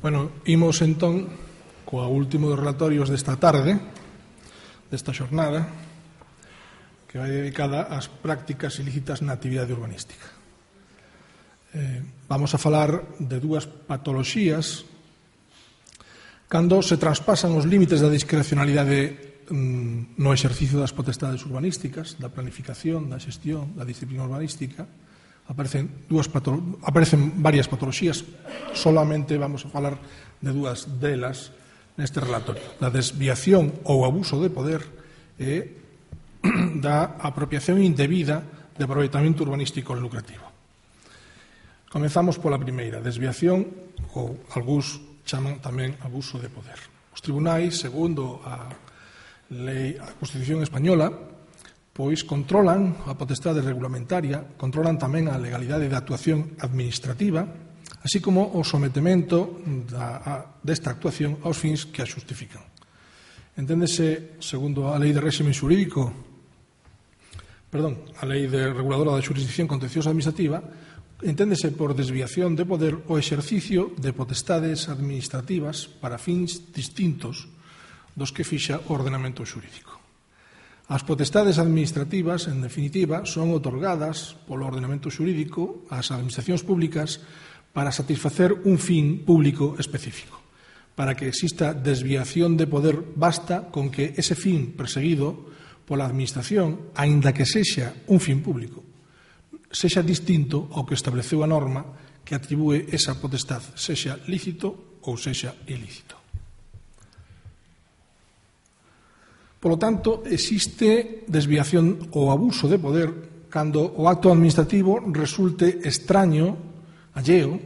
Bueno, imos entón coa último dos relatorios desta tarde, desta xornada, que vai dedicada ás prácticas ilícitas na actividade urbanística. Vamos a falar de dúas patoloxías cando se traspasan os límites da discrecionalidade no exercicio das potestades urbanísticas, da planificación, da xestión, da disciplina urbanística. Aparecen varias patoloxías, solamente vamos a falar de dúas delas neste relatorio: da desviación ou abuso de poder e da apropiación indebida de aproveitamento urbanístico lucrativo. Comezamos pola primeira, desviación, ou algúns chaman tamén abuso de poder. Os tribunais, segundo a Constitución española, pois controlan a potestade regulamentaria, controlan tamén a legalidade da actuación administrativa, así como o sometemento desta actuación aos fins que a xustifican. Enténdese, segundo a Lei de Réxime Xurídico, a Lei Reguladora da Xurisdicción Contenciosa Administrativa, enténdese por desviación de poder o exercicio de potestades administrativas para fins distintos dos que fixa o ordenamento xurídico. As potestades administrativas, en definitiva, son outorgadas polo ordenamento xurídico ás administracións públicas para satisfacer un fin público específico. Para que exista desviación de poder, basta con que ese fin perseguido pola administración, aínda que sexa un fin público, sexa distinto ao que estableceu a norma que atribúe esa potestad, sexa lícito ou sexa ilícito. Polo tanto, existe desviación ou abuso de poder cando o acto administrativo resulte extraño, alleo,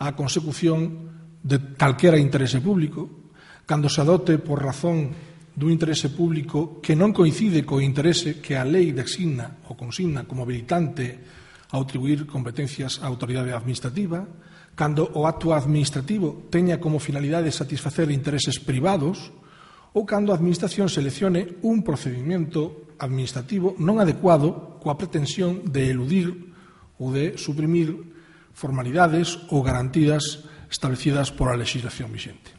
á consecución de calquera interese público, cando se adote por razón dun interese público que non coincide co interese que a lei designa ou consigna como habilitante a atribuir competencias á autoridade administrativa, cando o acto administrativo teña como finalidade satisfacer intereses privados, ou cando a Administración seleccione un procedimento administrativo non adecuado coa pretensión de eludir ou de suprimir formalidades ou garantías establecidas pola legislación vixente.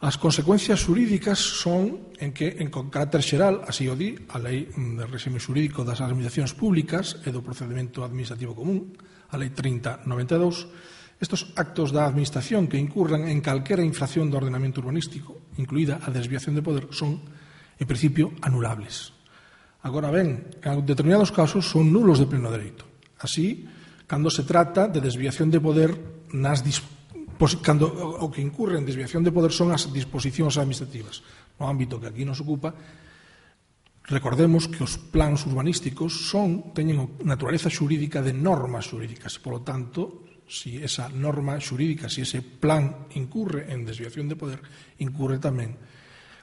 As consecuencias xurídicas son en que, en carácter xeral, así o di a Lei de Réxime Xurídico das Administracións Públicas e do Procedimento Administrativo Común, a Lei 30/92, estos actos da Administración que incurran en calquera infracción do ordenamento urbanístico, incluída a desviación de poder, son, en principio, anulables. Agora ben, en determinados casos son nulos de pleno dereito. Así, cando se trata de desviación de poder cando o que incurre en desviación de poder son as disposicións administrativas. No ámbito que aquí nos ocupa, recordemos que os plans urbanísticos teñen naturaleza xurídica de normas xurídicas. Por lo tanto, si esa norma xurídica, si ese plan incurre en desviación de poder, incurre tamén,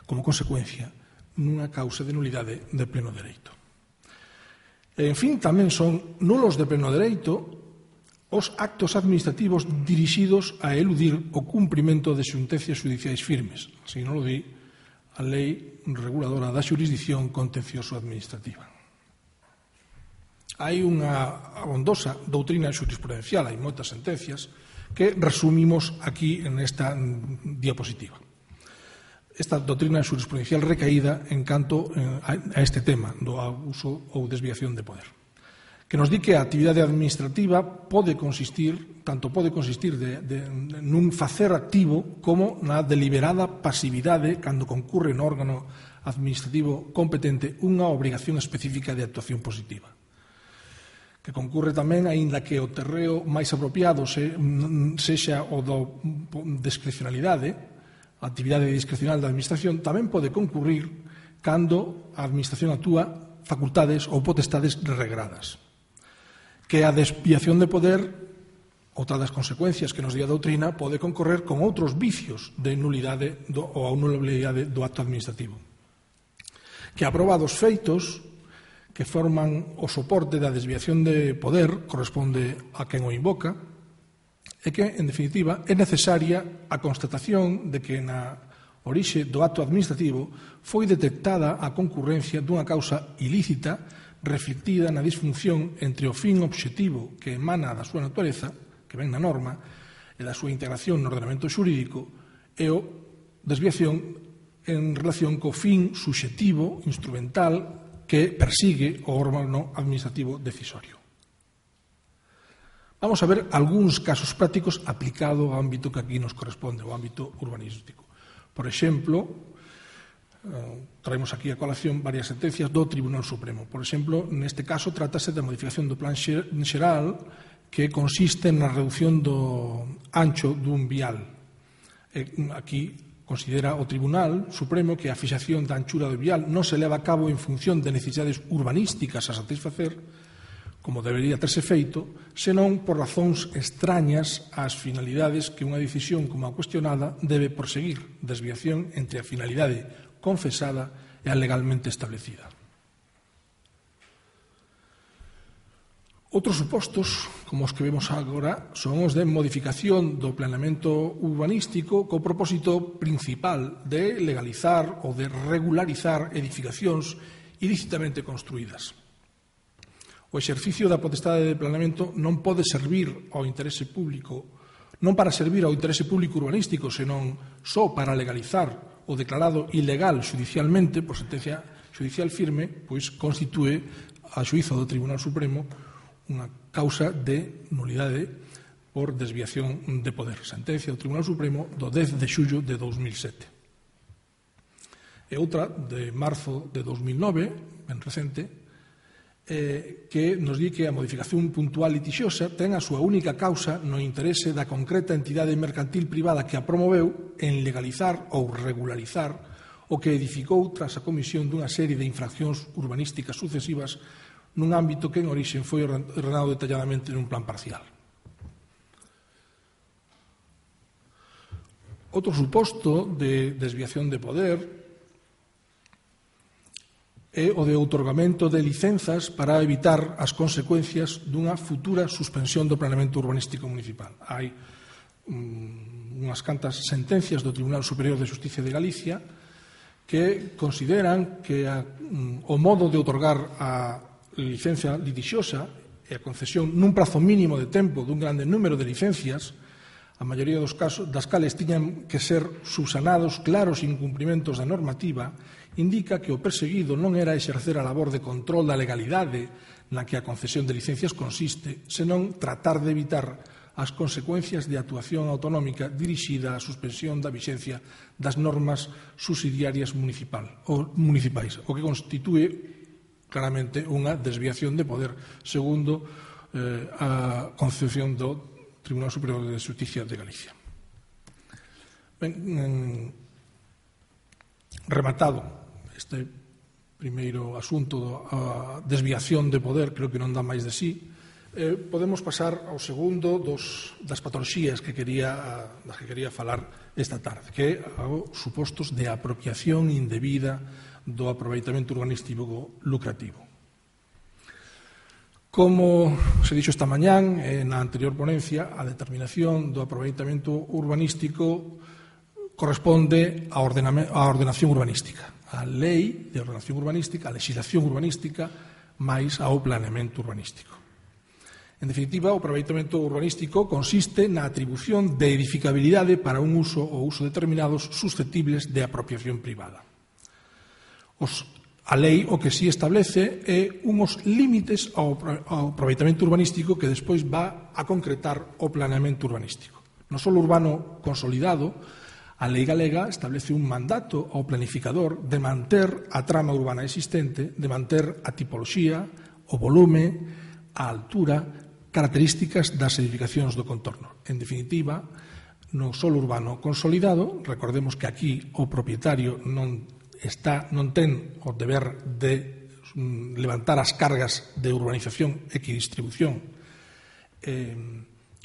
como consecuencia, nunha causa de nulidade de pleno dereito. En fin, tamén son nulos de pleno dereito os actos administrativos dirixidos a eludir o cumprimento de sentencias xudiciais firmes, así non lo di a Lei Reguladora da Xurisdicción Contencioso-Administrativa. Hai unha abondosa doutrina xurisprudencial, hai moitas sentencias que resumimos aquí nesta diapositiva. Esta doutrina xurisprudencial recaída en canto a este tema do abuso ou desviación de poder, que nos di que a actividade administrativa pode consistir nun facer activo como na deliberada pasividade cando concurre no órgano administrativo competente unha obrigación específica de actuación positiva, que concurre tamén, aínda que o terreo máis apropiado sexa o do discrecionalidade, a actividade discrecional da Administración, tamén pode concurrir cando a Administración actúa facultades ou potestades regradas. Que a desviación de poder, outra das consecuencias que nos di a doutrina, pode concorrer con outros vicios de nulidade ou anulabilidade do acto administrativo. Que aprobados feitos que forman o soporte da desviación de poder corresponde a quen o invoca e que, en definitiva, é necesaria a constatación de que na orixe do acto administrativo foi detectada a concurrencia dunha causa ilícita reflectida na disfunción entre o fin obxectivo que emana da súa natureza, que ven na norma e da súa integración no ordenamento xurídico e o desviación en relación co fin subxectivo, instrumental, que persigue o órgano administrativo decisorio. Vamos a ver algúns casos prácticos aplicado ao ámbito que aquí nos corresponde, ao ámbito urbanístico. Por exemplo, traemos aquí a colación varias sentencias do Tribunal Supremo. Por exemplo, neste caso trátase da modificación do plan xeral que consiste na reducción do ancho dun vial. Aquí considera o Tribunal Supremo que a fixación da anchura do vial non se leva a cabo en función de necesidades urbanísticas a satisfacer, como debería terse feito, senón por razóns extrañas ás finalidades que unha decisión como a cuestionada debe proseguir, desviación entre a finalidade confesada e a legalmente establecida. Outros supostos, como os que vemos agora, son os de modificación do planeamento urbanístico co propósito principal de legalizar ou de regularizar edificacións ilícitamente construídas. O exercicio da potestade de planeamento non pode servir ao interese público, non para servir ao interese público urbanístico, senón só para legalizar o declarado ilegal xudicialmente por sentencia xudicial firme, pois constitúe a xuízo do Tribunal Supremo unha causa de nulidade por desviación de poder. Sentencia do Tribunal Supremo do 10 de xullo de 2007. E outra de marzo de 2009, ben recente, que nos di que a modificación puntual litixiosa ten a súa única causa no interese da concreta entidade mercantil privada que a promoveu en legalizar ou regularizar o que edificou tras a comisión dunha serie de infraccións urbanísticas sucesivas nun ámbito que en orixe foi ordenado detalladamente nun plan parcial. Outro suposto de desviación de poder é o de outorgamento de licenzas para evitar as consecuencias dunha futura suspensión do planeamento urbanístico municipal. Hai unhas cantas sentencias do Tribunal Superior de Xusticia de Galicia que consideran que o modo de outorgar a licencia litixiosa e a concesión nun prazo mínimo de tempo dun grande número de licencias, a maioría dos casos das cales tiñan que ser subsanados claros incumprimentos da normativa, indica que o perseguido non era exercer a labor de control da legalidade na que a concesión de licencias consiste, senón tratar de evitar as consecuencias de actuación autonómica dirixida á suspensión da vixencia das normas subsidiarias municipais, o que constitúe claramente unha desviación de poder segundo a concepción do Tribunal Superior de Xusticia de Galicia. Ben, rematado este primeiro asunto da desviación de poder, creo que non dá máis de sí, podemos pasar ao segundo das patoloxías das que quería falar esta tarde, que é os supostos de apropiación indebida do aproveitamento urbanístico lucrativo. Como se dixo esta mañán na anterior ponencia, a determinación do aproveitamento urbanístico corresponde á ordenación urbanística, á lei de ordenación urbanística, á legislación urbanística, máis ao planeamento urbanístico. En definitiva, o aproveitamento urbanístico consiste na atribución de edificabilidade para un uso ou uso determinados susceptibles de apropiación privada. A lei o que si establece é uns límites ao aproveitamento urbanístico que despois va a concretar o planeamento urbanístico. No solo urbano consolidado, a lei galega establece un mandato ao planificador de manter a trama urbana existente, de manter a tipoloxía, o volume, a altura, características das edificacións do contorno. En definitiva, no solo urbano consolidado, recordemos que aquí o propietario non ten o deber de levantar as cargas de urbanización, equidistribución,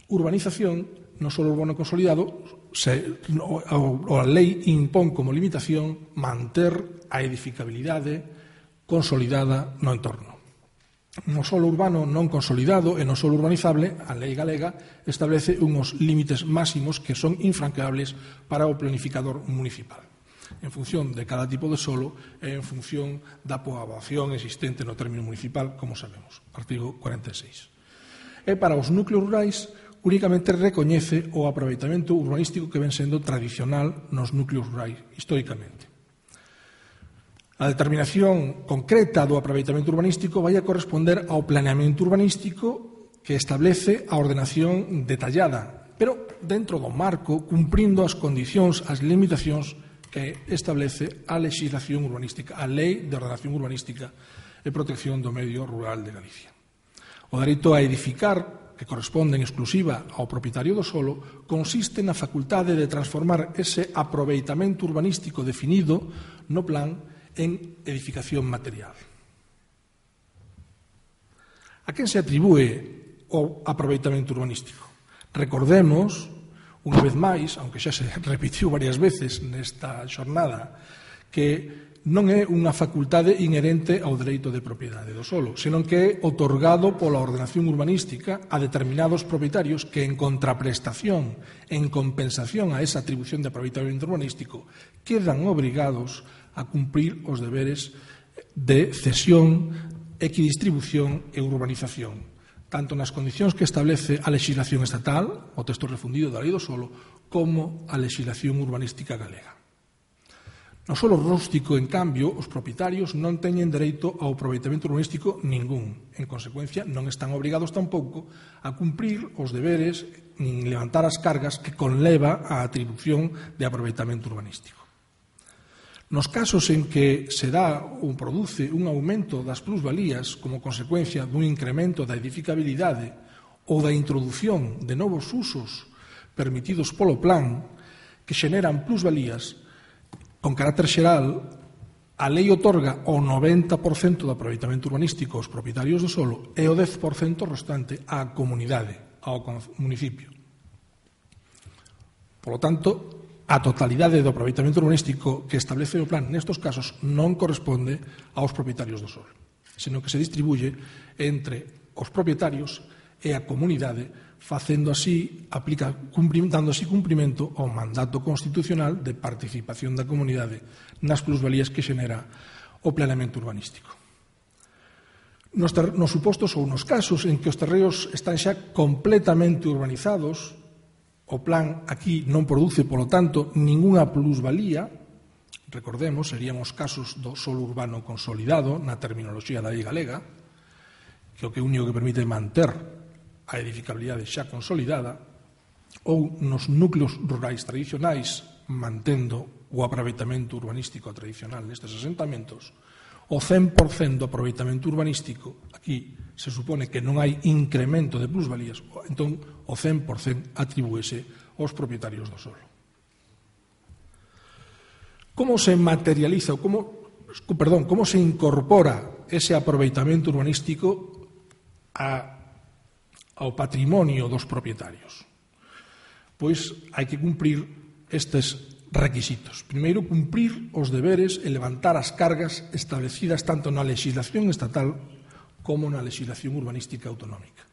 urbanización, no solo urbano consolidado, a lei impón como limitación manter a edificabilidade consolidada no entorno. No solo urbano non consolidado e no solo urbanizable, a lei galega establece uns límites máximos que son infranqueables para o planificador municipal, en función de cada tipo de solo e en función da poboación existente no término municipal, como sabemos, artigo 46. E para os núcleos rurais, únicamente recoñece o aproveitamento urbanístico que ven sendo tradicional nos núcleos rurais históricamente. A determinación concreta do aproveitamento urbanístico vai a corresponder ao planeamento urbanístico que establece a ordenación detallada, pero dentro do marco, cumprindo as condicións, as limitacións que establece a legislación urbanística, a Lei de Ordenación Urbanística e Protección do Medio Rural de Galicia. O dereito a edificar, que corresponde en exclusiva ao propietario do solo, consiste na facultade de transformar ese aproveitamento urbanístico definido no plan en edificación material. A quen se atribúe o aproveitamento urbanístico? Recordemos, unha vez máis, aunque xa se repitiu varias veces nesta xornada, que non é unha facultade inherente ao dereito de propiedade do solo, senón que é otorgado pola ordenación urbanística a determinados propietarios que, en contraprestación, en compensación a esa atribución de aproveitamento urbanístico, quedan obrigados a cumprir os deberes de cesión, equidistribución e urbanización, tanto nas condicións que establece a legislación estatal, o texto refundido da Lei do Solo, como a legislación urbanística galega. No solo rústico, en cambio, os propietarios non teñen dereito ao aproveitamento urbanístico ningún. En consecuencia, non están obrigados tampouco a cumprir os deberes nin levantar as cargas que conleva a atribución de aproveitamento urbanístico. Nos casos en que se dá ou produce un aumento das plusvalías como consecuencia dun incremento da edificabilidade ou da introdución de novos usos permitidos polo plan que xeneran plusvalías, con carácter xeral, a lei otorga o 90% do aproveitamento urbanístico aos propietarios do solo e o 10% restante á comunidade, ao municipio. Por lo tanto, a totalidade do aproveitamento urbanístico que establece o plan nestos casos non corresponde aos propietarios do solo, senón que se distribuye entre os propietarios e a comunidade, dando así cumprimento ao mandato constitucional de participación da comunidade nas plusvalías que xenera o planeamento urbanístico. Nos supostos ou nos casos en que os terreos están xa completamente urbanizados, o plan aquí non produce, polo tanto, ningunha plusvalía. Recordemos, serían os casos do solo urbano consolidado na terminoloxía da lei galega, que o que único que permite manter a edificabilidade xa consolidada, ou nos núcleos rurais tradicionais, mantendo o aproveitamento urbanístico tradicional nestes asentamentos. O 100% do aproveitamento urbanístico, aquí se supone que non hai incremento de plusvalías, entón o 100% atribúese aos propietarios do solo. Como se materializa, como se incorpora ese aproveitamento urbanístico ao patrimonio dos propietarios? Pois hai que cumprir estes requisitos. Primeiro, cumprir os deberes e levantar as cargas establecidas tanto na legislación estatal como na legislación urbanística autonómica.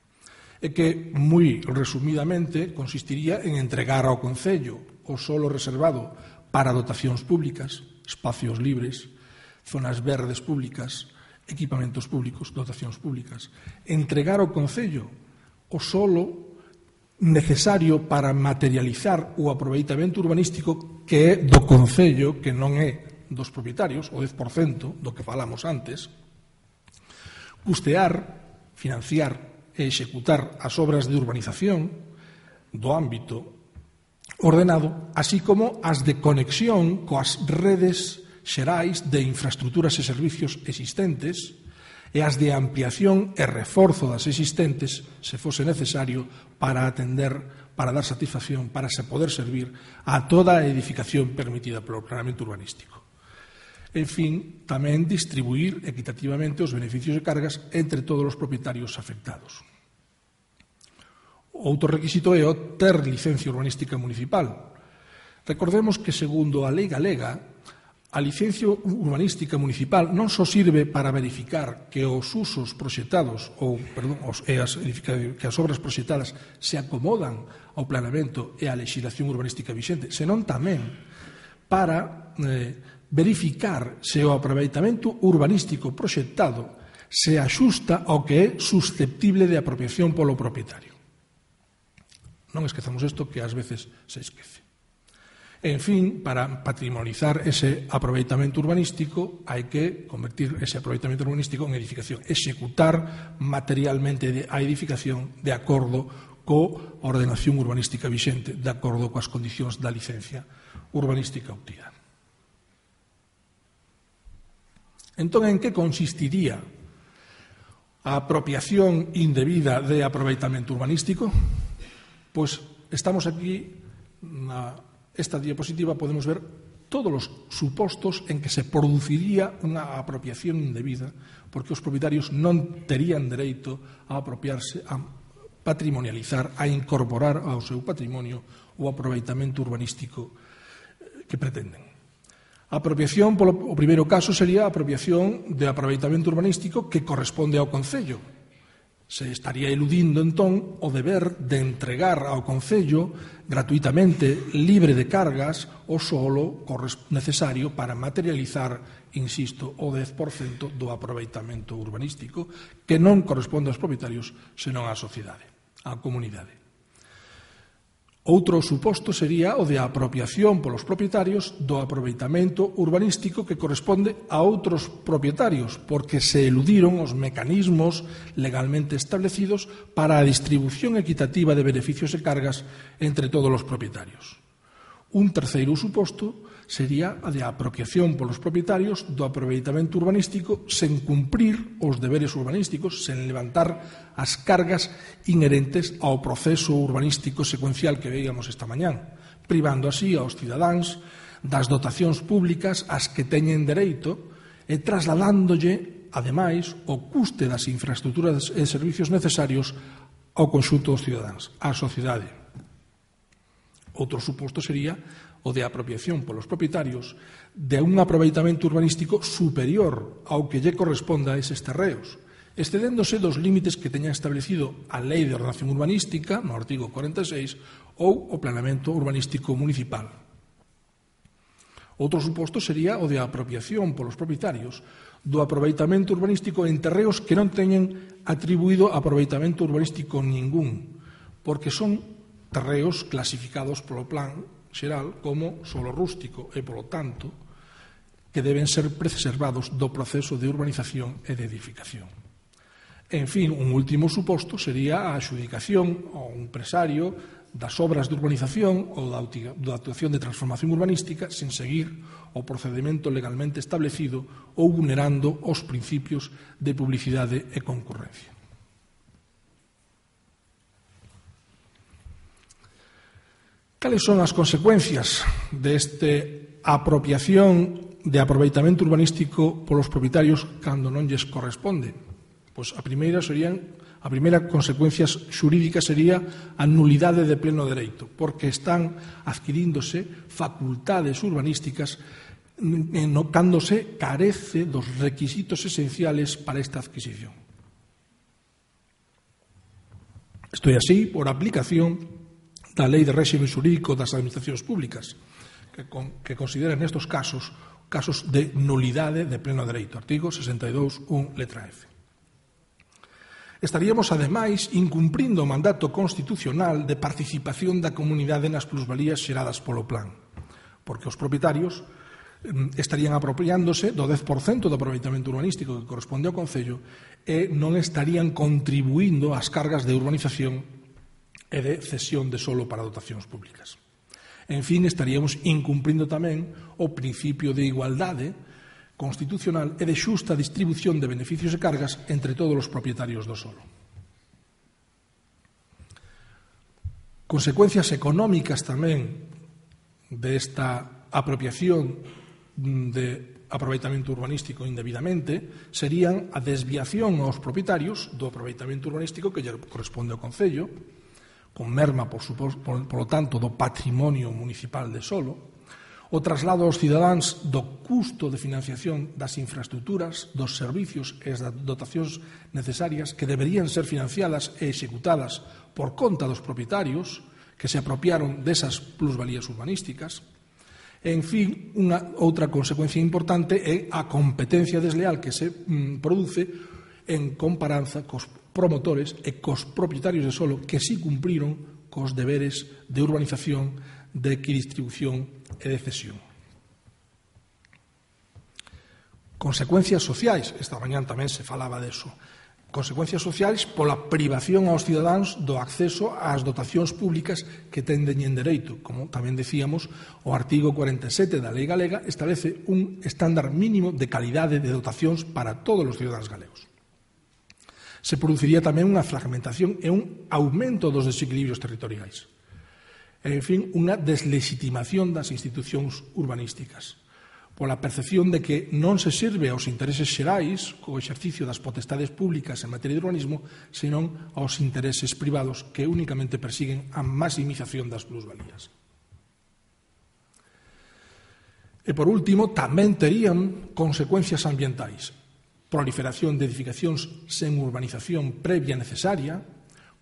E que, moi resumidamente, consistiría en entregar ao Concello o solo reservado para dotacións públicas, espacios libres, zonas verdes públicas, equipamentos públicos, dotacións públicas. Entregar ao Concello o solo necesario para materializar o aproveitamento urbanístico que é do Concello, que non é dos propietarios, o 10% do que falamos antes, custear, financiar e executar as obras de urbanización do ámbito ordenado, así como as de conexión coas redes xerais de infraestructuras e servicios existentes e as de ampliación e reforzo das existentes, se fose necesario, para atender, para dar satisfacción, para se poder servir a toda a edificación permitida polo planeamento urbanístico. En fin, tamén distribuir equitativamente os beneficios e cargas entre todos os propietarios afectados. Outro requisito é o ter licencia urbanística municipal. Recordemos que, segundo a lei galega, a licencia urbanística municipal non só sirve para verificar que os usos proxectados que as obras proxectadas se acomodan ao planeamento e á legislación urbanística vixente, senón tamén para verificar se o aproveitamento urbanístico proxectado se axusta ao que é susceptible de apropiación polo propietario. Non esquezamos isto, que ás veces se esquece. En fin, para patrimonializar ese aproveitamento urbanístico hai que convertir ese aproveitamento urbanístico en edificación, executar materialmente a edificación de acordo coa ordenación urbanística vixente, de acordo coas condicións da licencia urbanística obtida. Entón, en que consistiría a apropiación indebida de aproveitamento urbanístico? Pois estamos aquí esta diapositiva, podemos ver todos os supostos en que se produciría unha apropiación indebida, porque os propietarios non terían dereito a apropiarse, a patrimonializar, a incorporar ao seu patrimonio o aproveitamento urbanístico que pretenden. A apropiación, o primeiro caso, sería a apropiación de aproveitamento urbanístico que corresponde ao Concello. Se estaría eludindo, entón, o deber de entregar ao Concello gratuitamente, libre de cargas, o solo necesario para materializar, insisto, o 10% do aproveitamento urbanístico que non corresponde aos propietarios, senón á sociedade, á comunidade. Outro suposto sería o de apropiación polos propietarios do aproveitamento urbanístico que corresponde a outros propietarios, porque se eludiron os mecanismos legalmente establecidos para a distribución equitativa de beneficios e cargas entre todos os propietarios. Un terceiro suposto sería a de apropiación polos propietarios do aproveitamento urbanístico sen cumprir os deberes urbanísticos, sen levantar as cargas inherentes ao proceso urbanístico secuencial que veíamos esta mañán, privando así aos cidadáns das dotacións públicas ás que teñen dereito e trasladándolle, ademais, o custe das infraestruturas e servicios necesarios ao conxunto dos cidadáns, á sociedade. Outro suposto sería o de apropiación polos propietarios de un aproveitamento urbanístico superior ao que lle corresponda a eses terreos, excedéndose dos límites que teña establecido a Lei de Ordenación Urbanística, no artigo 46, ou o Planeamento Urbanístico Municipal. Outro suposto sería o de apropiación polos propietarios do aproveitamento urbanístico en terreos que non teñen atribuído aproveitamento urbanístico ningún, porque son terreos clasificados polo Plan xeral como solo rústico e, polo tanto, que deben ser preservados do proceso de urbanización e de edificación. En fin, un último suposto sería a adxudicación ao empresario das obras de urbanización ou da actuación de transformación urbanística sen seguir o procedimento legalmente establecido ou vulnerando os principios de publicidade e concurrencia. Cales son as consecuencias deste apropiación de aproveitamento urbanístico polos propietarios cando non lles corresponde? Pois a primeira consecuencia xurídica sería a nulidade de pleno dereito, porque están adquiríndose facultades urbanísticas cando se carece dos requisitos esenciales para esta adquisición. Isto é así por aplicación da Lei de Réxime Xurídico das Administracións Públicas, que considera nestes casos de nulidade de pleno dereito, artigo 62.1, letra F. Estaríamos, ademais, incumprindo o mandato constitucional de participación da comunidade nas plusvalías xeradas polo plan, porque os propietarios estarían apropiándose do 10% do aproveitamento urbanístico que corresponde ao Concello e non estarían contribuindo ás cargas de urbanización e de cesión de solo para dotacións públicas. En fin, estaríamos incumprindo tamén o principio de igualdade constitucional e de xusta distribución de beneficios e cargas entre todos os propietarios do solo. Consecuencias económicas tamén desta apropiación de aproveitamento urbanístico indebidamente serían a desviación aos propietarios do aproveitamento urbanístico que lle corresponde ao Concello, con merma, polo tanto, do patrimonio municipal de solo, o traslado aos cidadáns do custo de financiación das infraestruturas, dos servicios e das dotacións necesarias que deberían ser financiadas e executadas por conta dos propietarios que se apropiaron desas plusvalías urbanísticas. En fin, unha outra consecuencia importante é a competencia desleal que se produce en comparanza cos promotores e cos propietarios de solo que sí cumpriron cos deberes de urbanización, de equidistribución e de cesión. Consecuencias sociais, esta mañán tamén se falaba deso. Consecuencias sociais pola privación aos cidadáns do acceso ás dotacións públicas que tenden en dereito. Como tamén decíamos, o artigo 47 da Lei Galega establece un estándar mínimo de calidade de dotacións para todos os cidadáns galegos. Se produciría tamén unha fragmentación e un aumento dos desequilibrios territoriais. En fin, unha deslegitimación das institucións urbanísticas, pola percepción de que non se sirve aos intereses xerais co exercicio das potestades públicas en materia de urbanismo, senón aos intereses privados que únicamente persiguen a maximización das plusvalías. E, por último, tamén terían consecuencias ambientais. Proliferación de edificacións sen urbanización previa necesaria,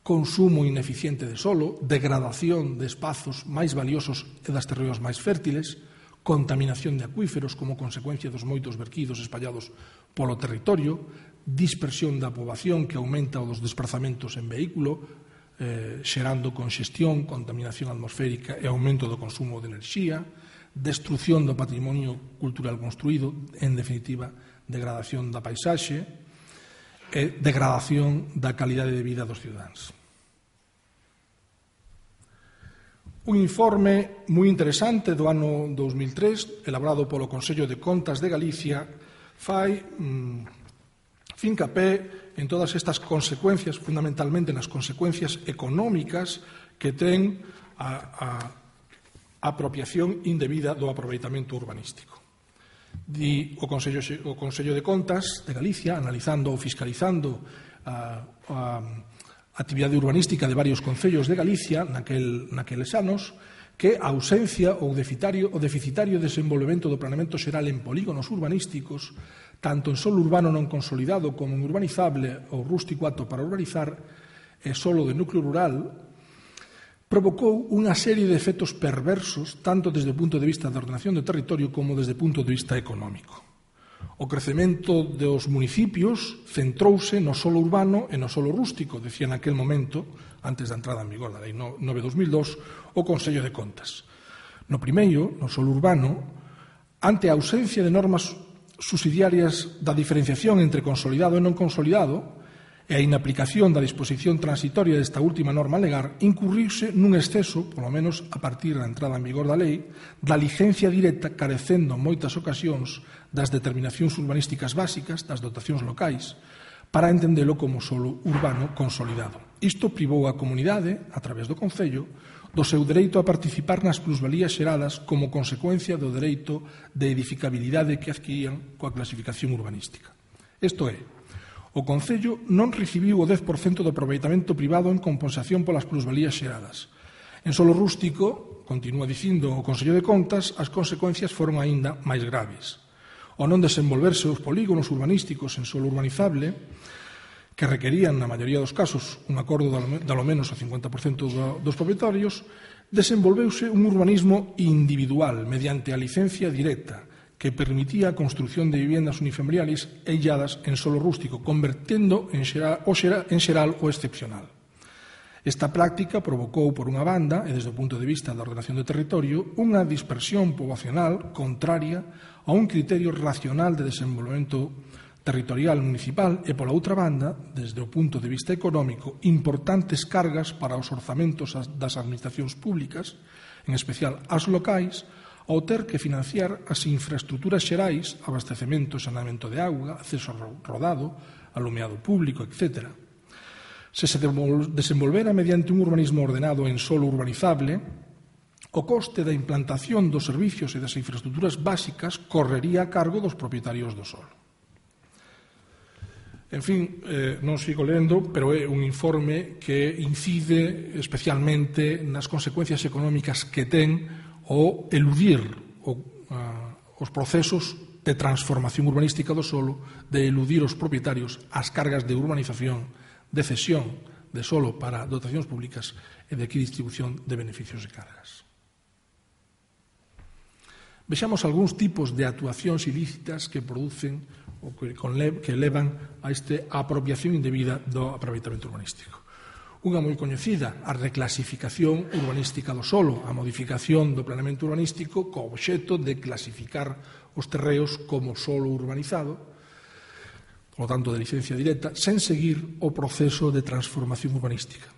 consumo ineficiente de solo, degradación de espazos máis valiosos e das terreos máis fértiles, contaminación de acuíferos como consecuencia dos moitos verquidos espallados polo territorio, dispersión da poboación que aumenta o dos desplazamentos en vehículo, xerando conxestión, contaminación atmosférica e aumento do consumo de enerxía, destrucción do patrimonio cultural construído, en definitiva, degradación da paisaxe e degradación da calidade de vida dos cidadáns. Un informe moi interesante do ano 2003, elaborado polo Consello de Contas de Galicia, fai fincapé en todas estas consecuencias, fundamentalmente nas consecuencias económicas que ten a apropiación indebida do aproveitamento urbanístico. Di o Consello de Contas de Galicia, analizando ou fiscalizando a actividade urbanística de varios concellos de Galicia naqueles anos, que a ausencia ou deficitario desenvolvemento do planeamento xeral en polígonos urbanísticos, tanto en solo urbano non consolidado como en urbanizable ou rústico apto para urbanizar e solo de núcleo rural, provocou unha serie de efectos perversos tanto desde o punto de vista da ordenación do territorio como desde o punto de vista económico. O crecemento dos municipios centrouse no solo urbano e no solo rústico, decía naquel momento, antes da entrada en vigor da Lei 9/2002, o Consello de Contas. No primeiro, no solo urbano, ante a ausencia de normas subsidiarias da diferenciación entre consolidado e non consolidado e a inaplicación da disposición transitoria desta última norma legal, incurriuse nun exceso, polo menos a partir da entrada en vigor da lei, da licencia directa carecendo en moitas ocasións das determinacións urbanísticas básicas, das dotacións locais, para entendelo como solo urbano consolidado. Isto privou a comunidade, a través do Concello, do seu dereito a participar nas plusvalías xeradas como consecuencia do dereito de edificabilidade que adquirían coa clasificación urbanística. Isto é, o Concello non recibiu o 10% do aproveitamento privado en compensación polas plusvalías xeradas. En solo rústico, continúa dicindo o Consello de Contas, as consecuencias foron aínda máis graves. O non desenvolverse os polígonos urbanísticos en solo urbanizable, que requerían, na maioría dos casos, un acordo de ao menos o 50% dos propietarios, desenvolveuse un urbanismo individual mediante a licencia directa, que permitía a construción de viviendas unifamiliares e illadas en solo rústico, convertendo en xeral o excepcional. Esta práctica provocou, por unha banda, e desde o punto de vista da ordenación do territorio, unha dispersión poboacional contraria a un criterio racional de desenvolvemento territorial municipal e, pola outra banda, desde o punto de vista económico, importantes cargas para os orzamentos das administracións públicas, en especial as locais, ao ter que financiar as infraestruturas xerais, abastecemento e saneamento de auga, acceso rodado, alumeado público, etc. Se se desenvolvera mediante un urbanismo ordenado en solo urbanizable, o coste da implantación dos servicios e das infraestruturas básicas correría a cargo dos propietarios do solo. En fin, non sigo lendo, pero é un informe que incide especialmente nas consecuencias económicas que ten o eludir os procesos de transformación urbanística do solo, de eludir os propietarios as cargas de urbanización, de cesión de solo para dotacións públicas e de equidistribución de beneficios e cargas. Vexamos algúns tipos de actuacións ilícitas que producen ou que levan a esta apropiación indebida do aproveitamento urbanístico. Unha moi coñecida, a reclasificación urbanística do solo, a modificación do planeamento urbanístico co obxecto de clasificar os terreos como solo urbanizado, por lo tanto de licencia directa, sen seguir o proceso de transformación urbanística.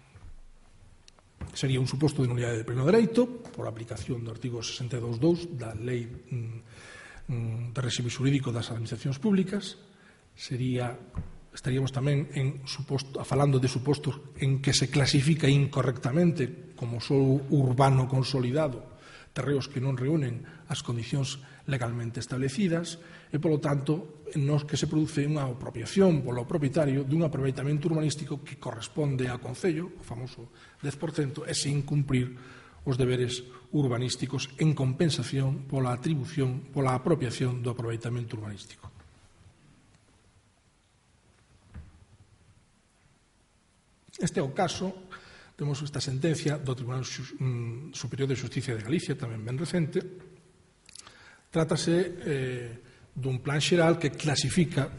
Sería un suposto de nulidade de pleno dereito por aplicación do artigo 62.2 da Lei de Réxime Xurídico das Administracións Públicas. Estaríamos tamén falando de supostos en que se clasifica incorrectamente como solo urbano consolidado terreos que non reúnen as condicións legalmente establecidas e, polo tanto, nos que se produce unha apropiación polo propietario dun aproveitamento urbanístico que corresponde ao Concello, o famoso 10%, e sin cumprir os deberes urbanísticos en compensación pola atribución, pola apropiación do aproveitamento urbanístico. Este é o caso, temos esta sentencia do Tribunal Superior de Xusticia de Galicia, tamén ben recente. Trátase dun plan xeral que desclasifica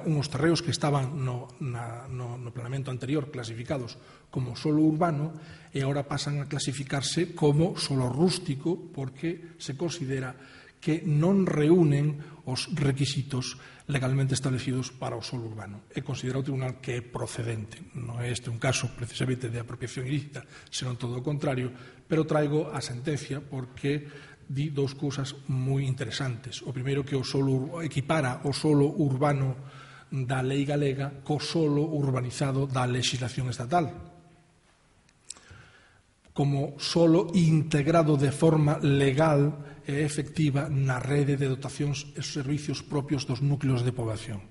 uns terreos que estaban no planeamento anterior clasificados como solo urbano e agora pasan a clasificarse como solo rústico porque se considera que non reúnen os requisitos legalmente establecidos para o solo urbano. E considera o Tribunal que é procedente. Non é este un caso precisamente de apropiación ilícita, senón todo o contrario, pero traigo a sentencia porque di dous cousas moi interesantes. O primeiro, que o solo equipara o solo urbano da lei galega co solo urbanizado da legislación estatal, como solo integrado de forma legal e efectiva na rede de dotacións e servicios propios dos núcleos de poboación.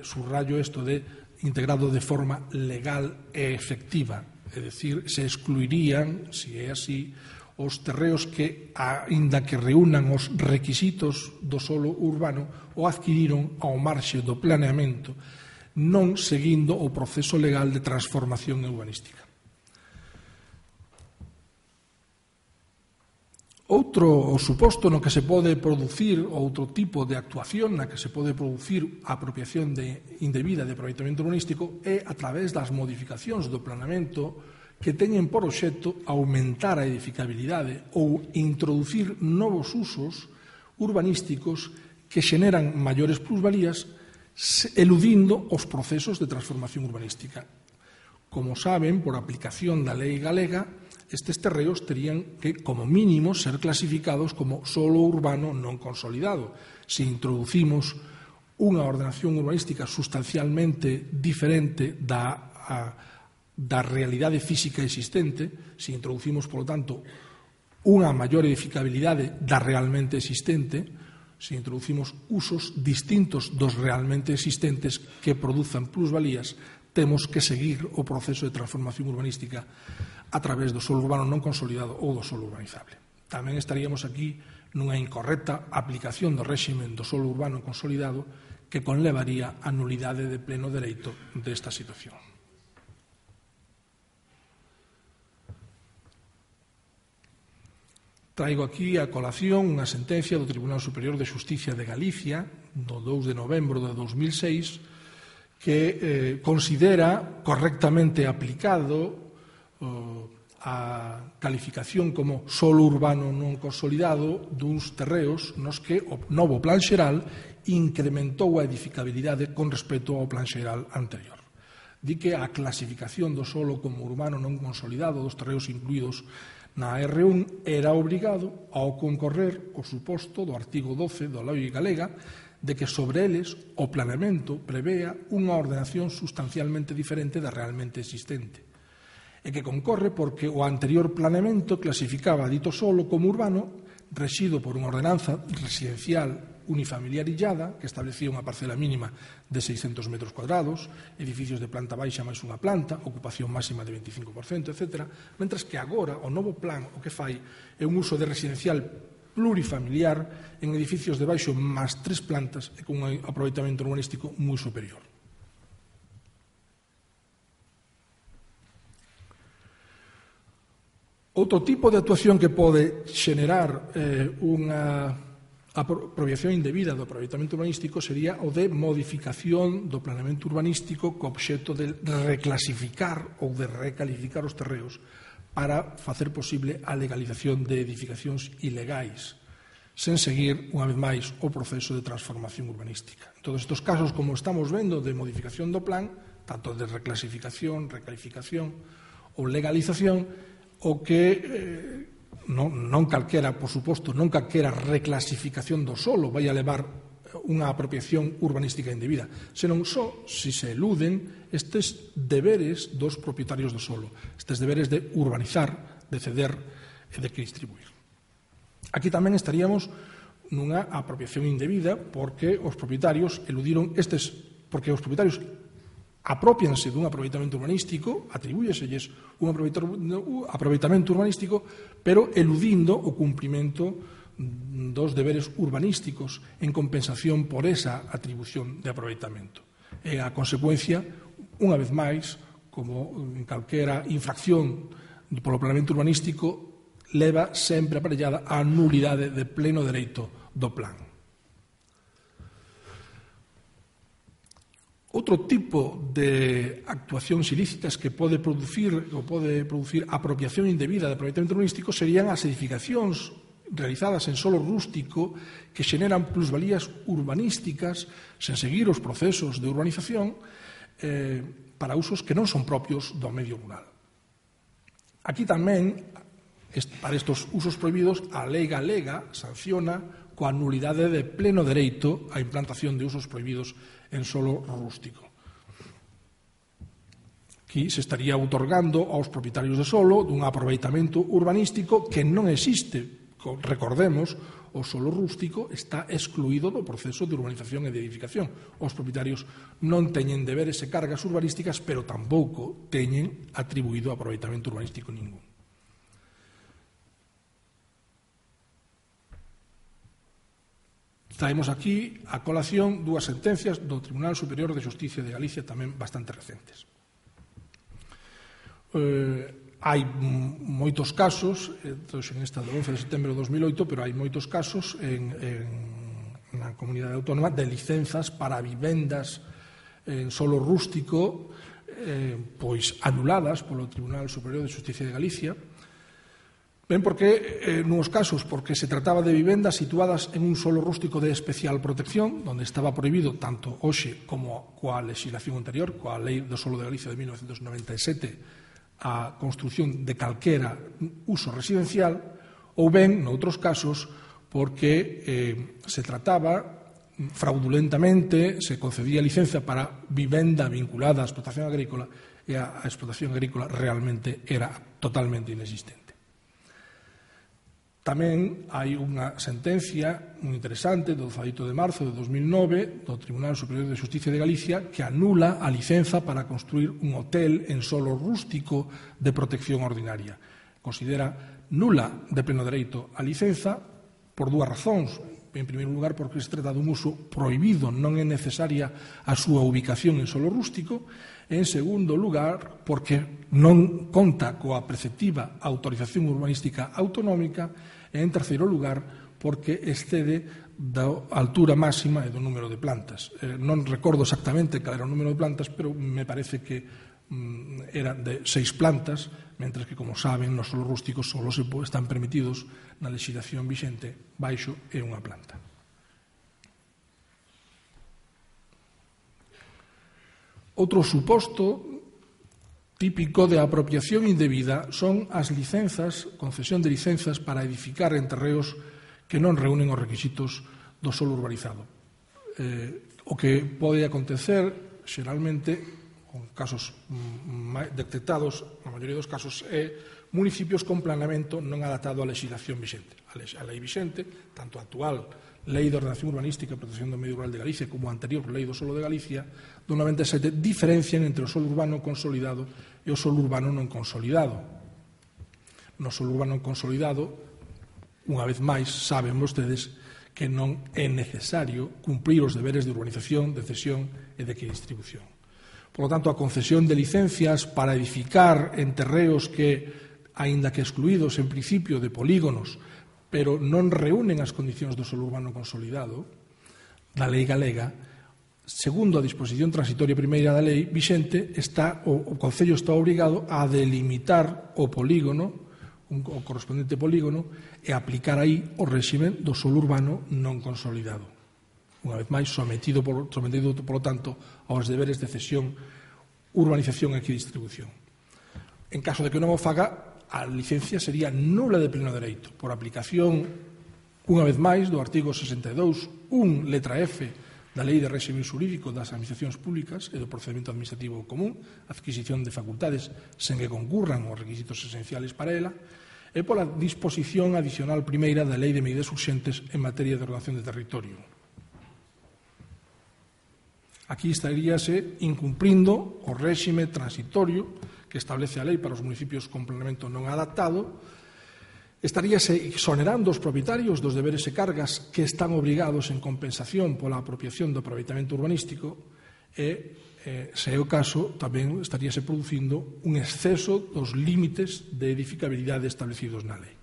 Subrayo isto de integrado de forma legal e efectiva, é dicir, se excluirían, se é así, os terreos que, aínda que reúnan os requisitos do solo urbano, o adquiriron ao marxe do planeamento, non seguindo o proceso legal de transformación urbanística. Outro suposto no que se pode producir outro tipo de actuación na que se pode producir a apropiación indebida de aproveitamento urbanístico é a través das modificacións do planeamento que teñen por obxecto aumentar a edificabilidade ou introducir novos usos urbanísticos que xeneran maiores plusvalías eludindo os procesos de transformación urbanística. Como saben, por aplicación da lei galega, estes terreos terían que, como mínimo, ser clasificados como solo urbano non consolidado. Se introducimos unha ordenación urbanística sustancialmente diferente da realidade física existente, se introducimos, polo tanto, unha maior edificabilidade da realmente existente, se introducimos usos distintos dos realmente existentes que produzan plusvalías, temos que seguir o proceso de transformación urbanística a través do solo urbano non consolidado ou do solo urbanizable. Tamén estaríamos aquí nunha incorrecta aplicación do réximen do solo urbano consolidado que conlevaría a nulidade de pleno dereito desta situación. Traigo aquí a colación unha sentencia do Tribunal Superior de Xusticia de Galicia do 2 de novembro de 2006 que considera correctamente aplicado a calificación como solo urbano non consolidado duns terreos nos que o novo plan xeral incrementou a edificabilidade con respecto ao plan xeral anterior. Di que a clasificación do solo como urbano non consolidado dos terreos incluídos na R1 era obrigado ao concorrer o suposto do artigo 12 da Lei Galega de que sobre eles o planeamento prevea unha ordenación sustancialmente diferente da realmente existente e que concorre porque o anterior planeamento clasificaba dito solo como urbano rexido por unha ordenanza residencial unifamiliar illada que establecía unha parcela mínima de 600 metros cuadrados, edificios de planta baixa máis unha planta, ocupación máxima de 25%, etc. Mentres que agora o novo plan o que fai é un uso de residencial plurifamiliar en edificios de baixo máis 3 plantas e con un aproveitamento urbanístico moi superior. Outro tipo de actuación que pode xenerar unha A apropiación indebida do aproveitamento urbanístico sería o de modificación do planeamento urbanístico co obxecto de reclasificar ou de recalificar os terreos para facer posible a legalización de edificacións ilegais, sen seguir, unha vez máis, o proceso de transformación urbanística. En todos estes casos, como estamos vendo, de modificación do plan, tanto de reclasificación, recalificación ou legalización, o que non calquera, por suposto, non calquera reclasificación do solo vai a levar unha apropiación urbanística indebida, senón só se se eluden estes deberes dos propietarios do solo, estes deberes de urbanizar, de ceder e de que distribuir. Aquí tamén estaríamos nunha apropiación indebida porque os propietarios eludiron porque os propietarios apropianse dun aproveitamento urbanístico, atribúyeselles un aproveitamento urbanístico, pero eludindo o cumprimento dos deberes urbanísticos en compensación por esa atribución de aproveitamento. E a consecuencia, unha vez máis, como en calquera infracción polo planeamento urbanístico, leva sempre aparellada a nulidade de pleno dereito do plan. Outro tipo de actuacións ilícitas que pode producir apropiación indebida de aproveitamento urbanístico serían as edificacións realizadas en solo rústico que xeneran plusvalías urbanísticas sen seguir os procesos de urbanización para usos que non son propios do medio rural. Aquí tamén, para estes usos prohibidos, a lei galega sanciona coa nulidade de pleno dereito a implantación de usos prohibidos en solo rústico. Aquí se estaría outorgando aos propietarios de solo dun aproveitamento urbanístico que non existe. Recordemos, o solo rústico está excluído do proceso de urbanización e de edificación. Os propietarios non teñen deberes e cargas urbanísticas, pero tampouco teñen atribuído aproveitamento urbanístico ningún. Traemos aquí a colación dúas sentencias do Tribunal Superior de Xusticia de Galicia tamén bastante recentes. Hai moitos casos, en esta do 11 de setembro de 2008, pero hai moitos casos na comunidade autónoma de licenzas para vivendas en solo rústico pois anuladas polo Tribunal Superior de Xusticia de Galicia. Ben, porque nuns casos porque se trataba de vivendas situadas en un solo rústico de especial protección, onde estaba prohibido tanto hoxe como coa legislación anterior, coa Lei do Solo de Galicia de 1997, a construción de calquera uso residencial, ou ben, noutros casos, porque se trataba fraudulentamente, se concedía licenza para vivenda vinculada á explotación agrícola e a explotación agrícola realmente era totalmente inexistente. Tamén hai unha sentencia moi interesante do 18 de marzo de 2009 do Tribunal Superior de Xusticia de Galicia que anula a licenza para construir un hotel en solo rústico de protección ordinaria. Considera nula de pleno dereito a licenza por dúas razóns. En primeiro lugar, porque se trata dun uso prohibido, non é necesaria a súa ubicación en solo rústico. En segundo lugar, porque non conta coa preceptiva autorización urbanística autonómica. E en terceiro lugar, porque excede da altura máxima e do número de plantas. Non recordo exactamente cal era o número de plantas, pero me parece que era de 6 plantas, mentre que, como saben, nos solos rústicos só están permitidos na legislación vixente baixo e unha planta. Outro suposto típico de apropiación indebida son as licenzas, concesión de licenzas para edificar en terreos que non reúnen os requisitos do solo urbanizado. O que pode acontecer, xeralmente, con casos detectados, na maioría dos casos, é municipios con planeamento non adaptado á legislación vixente. A lei vixente, tanto a actual Lei de Ordenación Urbanística e Protección do Medio Rural de Galicia como a anterior Lei do Solo de Galicia, do 97, diferencian entre o solo urbano consolidado e o solo urbano non consolidado. No solo urbano consolidado, unha vez máis, saben vostedes que non é necesario cumprir os deberes de urbanización, de cesión e de distribución. Por lo tanto, a concesión de licencias para edificar en terreos que, aínda que excluídos en principio de polígonos, pero non reúnen as condicións do solo urbano consolidado da lei galega, segundo a disposición transitoria primeira da lei vixente, o Concello está obrigado a delimitar o polígono, o correspondente polígono, e aplicar aí o réxime do solo urbano non consolidado. Unha vez máis, sometido, polo tanto, aos deberes de cesión, urbanización e equidistribución. En caso de que non o faga, a licencia sería nula de pleno dereito, por aplicación, unha vez máis, do artigo 62, letra F, da Lei de Réxime Xurídico das Administracións Públicas e do Procedimento Administrativo Común, adquisición de facultades sen que concurran os requisitos esenciales para ela, e pola disposición adicional primeira da Lei de Medidas Urxentes en materia de ordenación de territorio. Aquí estaríase incumprindo o réxime transitorio que establece a lei para os municipios con planeamento non adaptado, estaríase exonerando os propietarios dos deberes e cargas que están obrigados en compensación pola apropiación do aproveitamento urbanístico e, se é o caso, tamén estaríase producindo un exceso dos límites de edificabilidade establecidos na lei.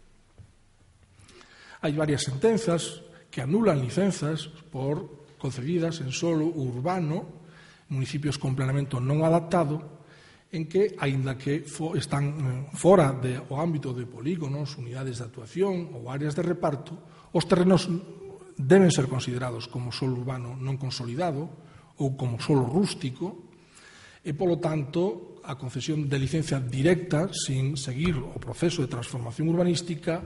Hai varias sentenzas que anulan licenzas por concedidas en solo urbano, municipios con planeamento non adaptado, en que, aínda que están fora do ámbito de polígonos, unidades de actuación ou áreas de reparto, os terrenos deben ser considerados como solo urbano non consolidado ou como solo rústico e, polo tanto, a concesión de licencia directa sin seguir o proceso de transformación urbanística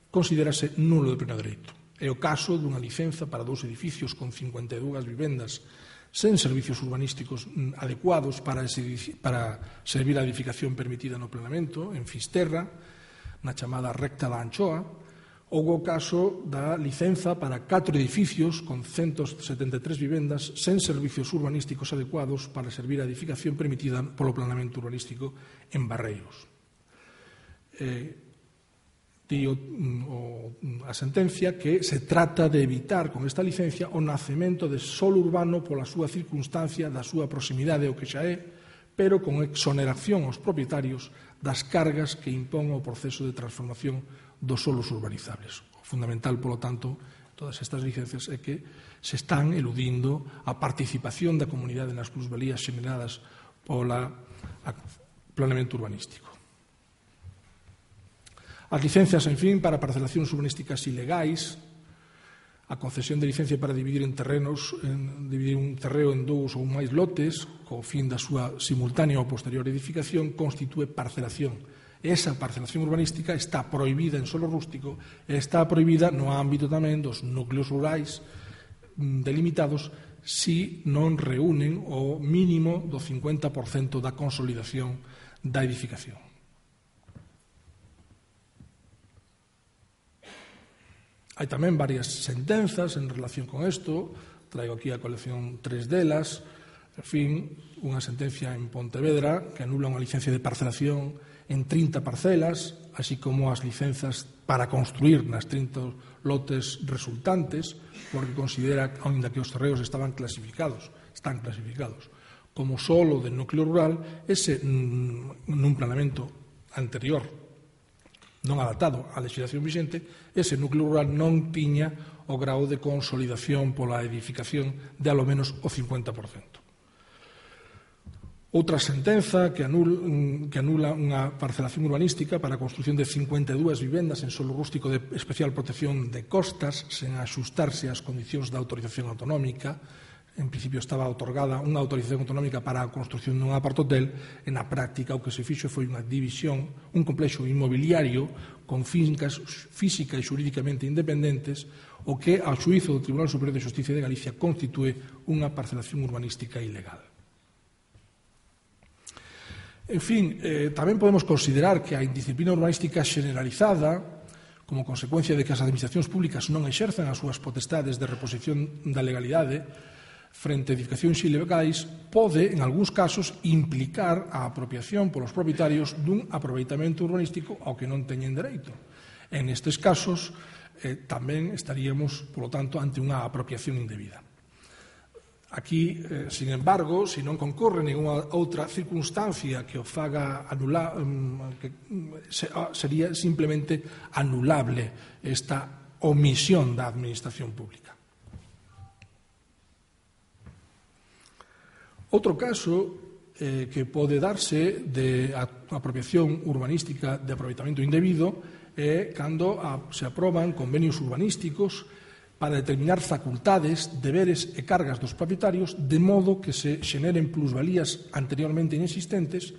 considérase nulo de pleno dereito. É o caso dunha licenza para 2 edificios con 52 vivendas sen servicios urbanísticos adecuados para servir a edificación permitida no planeamento, en Fisterra, na chamada recta da Anchoa, ou o caso da licenza para 4 edificios con 173 vivendas sen servicios urbanísticos adecuados para servir a edificación permitida polo planeamento urbanístico en Barreiros. A sentencia que se trata de evitar con esta licencia o nacemento de solo urbano pola súa circunstancia, da súa proximidade ao que xa é, pero con exoneración aos propietarios das cargas que impón o proceso de transformación dos solos urbanizables. O fundamental, polo tanto, todas estas licencias é que se están eludindo a participación da comunidade nas plusvalías xeneradas polo planeamento urbanístico. As licencias, en fin, para parcelacións urbanísticas ilegais, a concesión de licencia para dividir un terreno en 2 ou máis lotes, co fin da súa simultánea ou posterior edificación, constitúe parcelación. Esa parcelación urbanística está prohibida en solo rústico e está prohibida no ámbito tamén dos núcleos rurais delimitados si non reúnen o mínimo do 50% da consolidación da edificación. Hai tamén varias sentenzas en relación con isto, traigo aquí a colección 3 delas, en fin, unha sentencia en Pontevedra que anula unha licencia de parcelación en 30 parcelas, así como as licenzas para construir nas 30 lotes resultantes, porque considera, aínda que os terreos están clasificados como solo de núcleo rural, ese nun planeamento anterior non adaptado á legislación vixente, ese núcleo rural non tiña o grau de consolidación pola edificación de alo menos o 50%. Outra sentenza que anula unha parcelación urbanística para a construción de 52 vivendas en solo rústico de especial protección de costas sen axustarse ás condicións da autorización autonómica. En principio estaba otorgada unha autorización autonómica para a construción dun apartotel, e na práctica o que se fixo foi unha división, un complexo inmobiliario con fincas física e xurídicamente independentes, o que, ao xuízo do Tribunal Superior de Xusticia de Galicia, constitúe unha parcelación urbanística ilegal. En fin, tamén podemos considerar que a indisciplina urbanística xeneralizada, como consecuencia de que as administracións públicas non exerzan as súas potestades de reposición da legalidade frente a edificacións ilegais, pode, en algúns casos, implicar a apropiación polos propietarios dun aproveitamento urbanístico ao que non teñen dereito. En estes casos, tamén estaríamos, polo tanto, ante unha apropiación indebida. Aquí, sin embargo, se non concorre ninguna outra circunstancia que o faga anular, sería simplemente anulable esta omisión da Administración pública. Outro caso que pode darse de apropiación urbanística de aproveitamento indebido é cando se aproban convenios urbanísticos para determinar facultades, deberes e cargas dos propietarios de modo que se xeneren plusvalías anteriormente inexistentes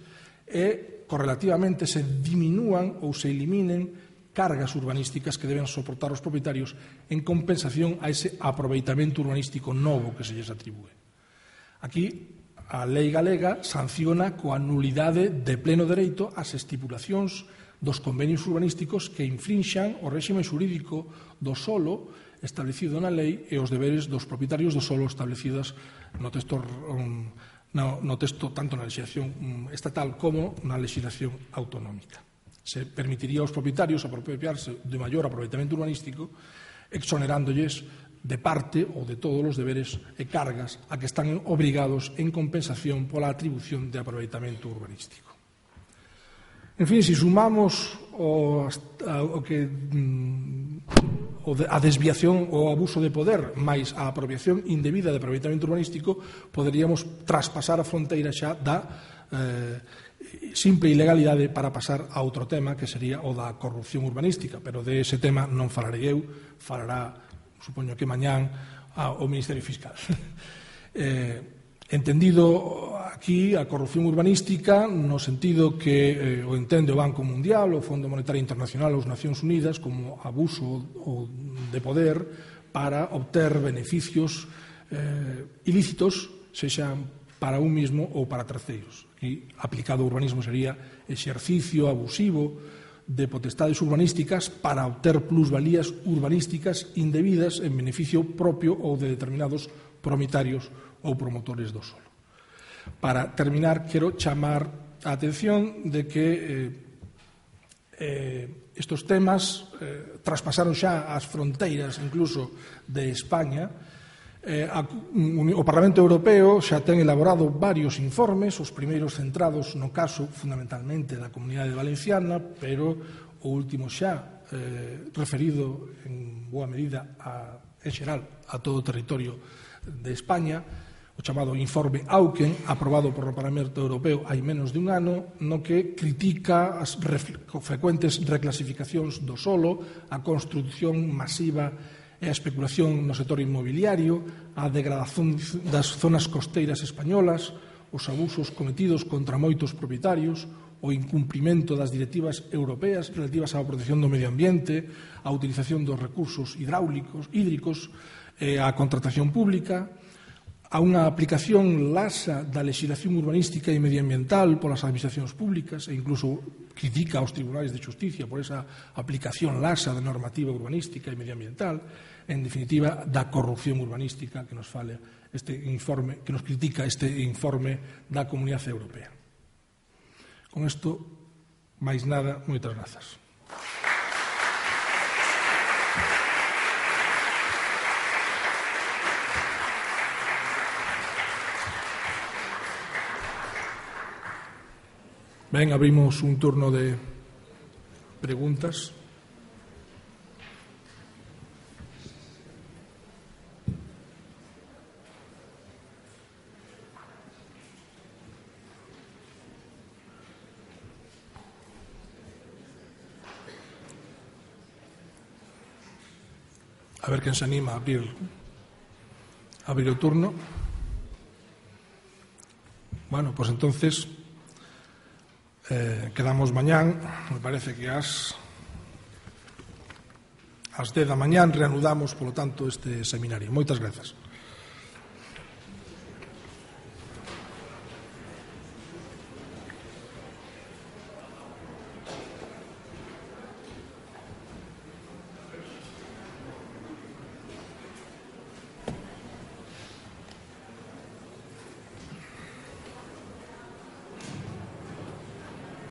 e, correlativamente, se diminúan ou se eliminen cargas urbanísticas que deben soportar os propietarios en compensación a ese aproveitamento urbanístico novo que se lles atribúe. Aquí, a lei galega sanciona coa nulidade de pleno dereito as estipulacións dos convenios urbanísticos que infrinxan o réxime xurídico do solo establecido na lei e os deberes dos propietarios do solo establecidos no texto tanto na legislación estatal como na legislación autonómica. Se permitiría aos propietarios apropiarse de maior aproveitamento urbanístico exonerándoles de parte ou de todos os deberes e cargas a que están obrigados en compensación pola atribución de aproveitamento urbanístico. En fin, se sumamos a desviación ou abuso de poder máis a apropiación indebida de aproveitamento urbanístico, poderíamos traspasar a fronteira xa da simple ilegalidade para pasar a outro tema que sería o da corrupción urbanística, pero de ese tema non falarei eu, falará supoño que mañán ao Ministerio Fiscal. Entendido aquí a corrupción urbanística no sentido que o entende o Banco Mundial, o Fondo Monetario Internacional ou as Nacións Unidas como abuso de poder para obter beneficios ilícitos, sexan para un mismo ou para terceiros. Aquí, aplicado ao urbanismo, sería exercicio abusivo de potestades urbanísticas para obter plusvalías urbanísticas indebidas en beneficio propio ou de determinados propietarios ou promotores do solo. Para terminar, quero chamar a atención de que estes temas traspasaron xa as fronteiras incluso de España. O Parlamento Europeo xa ten elaborado varios informes, os primeiros centrados no caso fundamentalmente da Comunidade Valenciana, pero o último xa referido en boa medida en xeral a todo o territorio de España, o chamado informe Auken, aprobado por o Parlamento Europeo hai menos de un ano, no que critica as frecuentes reclasificacións do solo, a construción masiva e a especulación no sector inmobiliario, a degradación das zonas costeiras españolas, os abusos cometidos contra moitos propietarios, o incumprimento das directivas europeas relativas á protección do medio ambiente, a utilización dos recursos hídricos, a contratación pública, a unha aplicación laxa da legislación urbanística e medioambiental polas administracións públicas e incluso critica aos tribunais de justicia por esa aplicación laxa da normativa urbanística e medioambiental, en definitiva, da corrupción urbanística que nos fala este informe, que nos critica este informe da Comunidade Europea. Con isto, máis nada, moitas grazas. Ben, abrimos un turno de preguntas. A ver quen se anima a abrir o turno. Bueno, pues entonces quedamos mañán, me parece que ás 10 da mañán reanudamos, polo tanto, este seminario. Moitas grazas.